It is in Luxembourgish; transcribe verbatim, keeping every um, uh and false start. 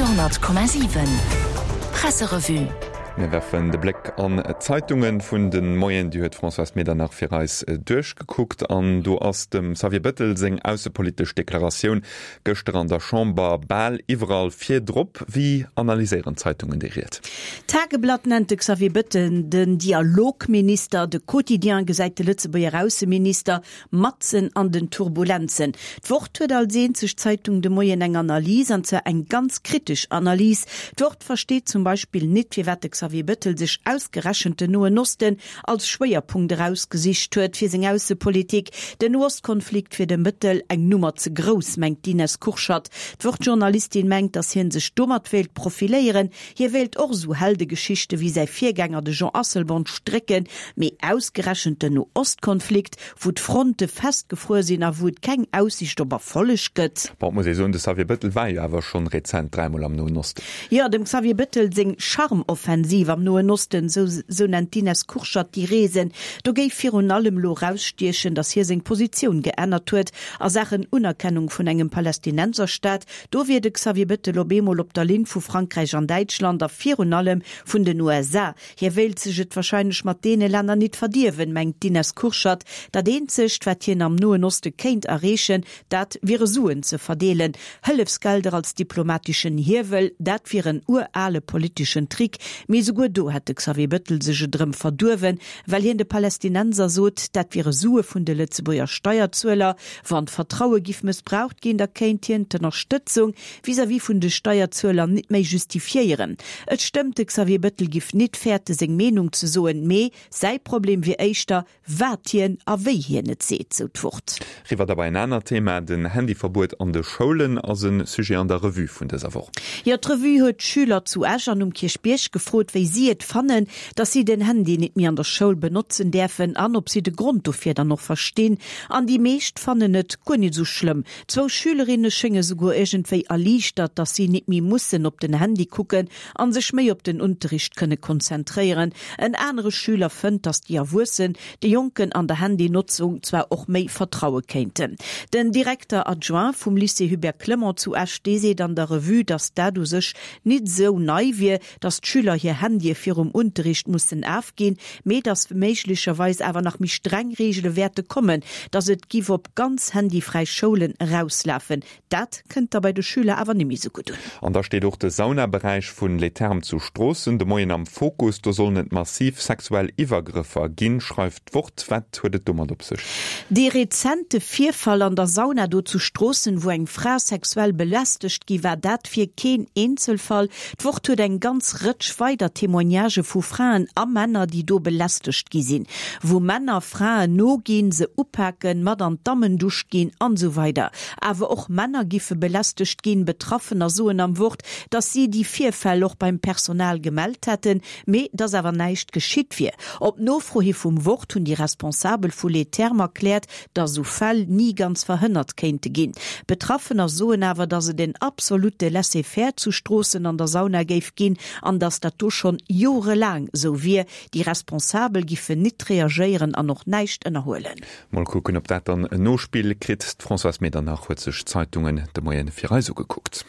Radio Komma siwen Presserevue. Mir werfen de Bléck an d'Zeitunge vun de Moien, déi huet d'Françoise Medernach fir eis duerchgekuckt an do ass dem Xavier Bettel seng aussepolitesch Deklaratioun gëschter an der Chamber bal iwwerall virdrop. Wéi analyséieren d'Zeitungen déi Ried? D'Tageblatt nennt de Xavier Bettel den Dialogminister, de Quotidien gesäit de Lëtzebuerger Ausseminister matzen an den Turbulenzen. D'Wort huet als eenzeg Zeitung de Moien eng Analys, an zwar eng ganz kritesch Analys. D'Wort versteet zum Beispill nit, firwat de Xavier Bettel sech ausgerechent den Noen Osten als Schwéierpunkt erausgesicht huet fir seng Aussepolitik. Den Noostkonflikt wier dem Bettel eng Nummer ze grouss, mengt d'Ines Kurschat. D'Wort-Journalistin mengt, datt hie sech domat wéilt profiléieren. Hie wéilt och sou Heldegeschichte wéi säi Virgänger de Jean Asselborn strécken, mee ausgerechent den Noostkonflikt, wou d'Fronte festgefruer sinn a wou et keng Aussiicht op Erfolleg gëtt. Bon, et muss ee soen, de Xavier Bettel war jo awer schonn rezent dräimol am Noen Osten. Jo, dem Xavier Bettel seng Charmoffensiv am Noen Osten, sou nennt d'Ines Kurschat déi Reesen, do géif virun allem elo erausstiechen, datt hie seng Positioun geännert huet a Saachen Unerkennung vun engem Palästinenserstaat. Do wier de Xavier Bettel op eemol op der Linn vu Frankräich an Däitschland a virun allem vun den U S A. Hie wéilt sech et warscheinlech mat deene Länner nit verdierwen, mengt d'Ines Kurschat. Dat eenzegt, wat hien am Noen Oste kéint erreechen, dat wiere Suen ze verdeelen. Hëllefsgelder als diplomateschen Hiewel, dat wier en urale politeschen Trick. Mee esouguer do hätt de Xavier Bettel sech et erëm verduerwen, well hien de Palästinenser sot, dat wiere Sue vun de Lëtzebuerger Steierzueler. Wann d'Vertraue giff mëssbraucht ginn, da kéint hien d'Ënnerstëtzung vis-à-vis vun de Steierzueler nit méi justifiéieren. Et stëmmt, de Xavier Bettel giff nit fäerte seng Meenung ze soen, mee säi Problem wier éischter, wat hien a wéi hien et seet, sou d'Wort. Riwwer da bei en anert Thema, Den Handyverbuet an de Schoulen ass e Sujet an der Revue vun dëser Woch. Jo, d'Revue huet d'Schüler zu Esch an um Kierchbierg gefrot, wéi si et fannen, dass si den Handy nit méi an der Schoul benotzen däerfen an ob si de Grond dofir dann och verstinn. An déi meescht fannen et guer nit esou schlëmm. Zwou Schülerinne schénge souguer iergendwéi erliichtert, dass si nit méi mussen op den Handy kucken an sech méi op den Unterricht kënne konzentréieren. En anere Schüler fënnt, dass déi Erwuessen de Jonken an der Handynotzung zwar och méi vertraue kéinten. Den Directeur adjoint vum Lycée Hubert Clement zu Esch, dee seet an der Revue, dass dat u sech nit esou nei wier, dass d'Schüler hir Handye virum Unterricht mussen afginn, mee dass méiglecherweis awer nach méi streng Reegele wäerte kommen, dass et giff op ganz handyfräi Schoulen erauslafen. Dat kënnt da bei de Schüler awer nimmi sou gutt un. An da steet och de Saunaberäich vun Les Thermes zu Stroossen de Moien am Fokus. Do sollen et massiv sexuell Iwwergrëffer ginn, schreift d'Wort. Wat huet et domat op sech? Dee rezente Virfall an der Sauna do zu Stroossen, wou eng Fra sexuell belästegt gi war, dat wier keen Eenzelfall. D'Wort huet eng ganz Rëtsch weider Témoignagë vu Fraen a Männer, déi do belästegt gi sinn. Wou Männer Fraen noginn, se upaken, mat an d'Dammendusch ginn an esou weider. Awer och Männer giffe belästegt ginn. Betraffener soen am Wort, dass si déi Virfäll och beim Personal gemellt hätten, mee dass awer näischt geschitt wier. Op Nofro hi vum Wort hunn déi Responsabel vu Les Thermes erkläert, dass esou Fäll ni ganz verhënnert kéinte ginn. Betraffener soen awer, dass et en absolutte Laisser-faire zu Stroossen an der Sauna géif ginn an dass dat do schonn jorelaang esou wier. Déi Responsabel giffen nit reagéieren an och näischt ënnerhuelen. Mol kucken, ob dat dann en Nospill kritt. D'Françoise Medernach huet sech d'Zeitungen de Moien fir eis ugekuckt.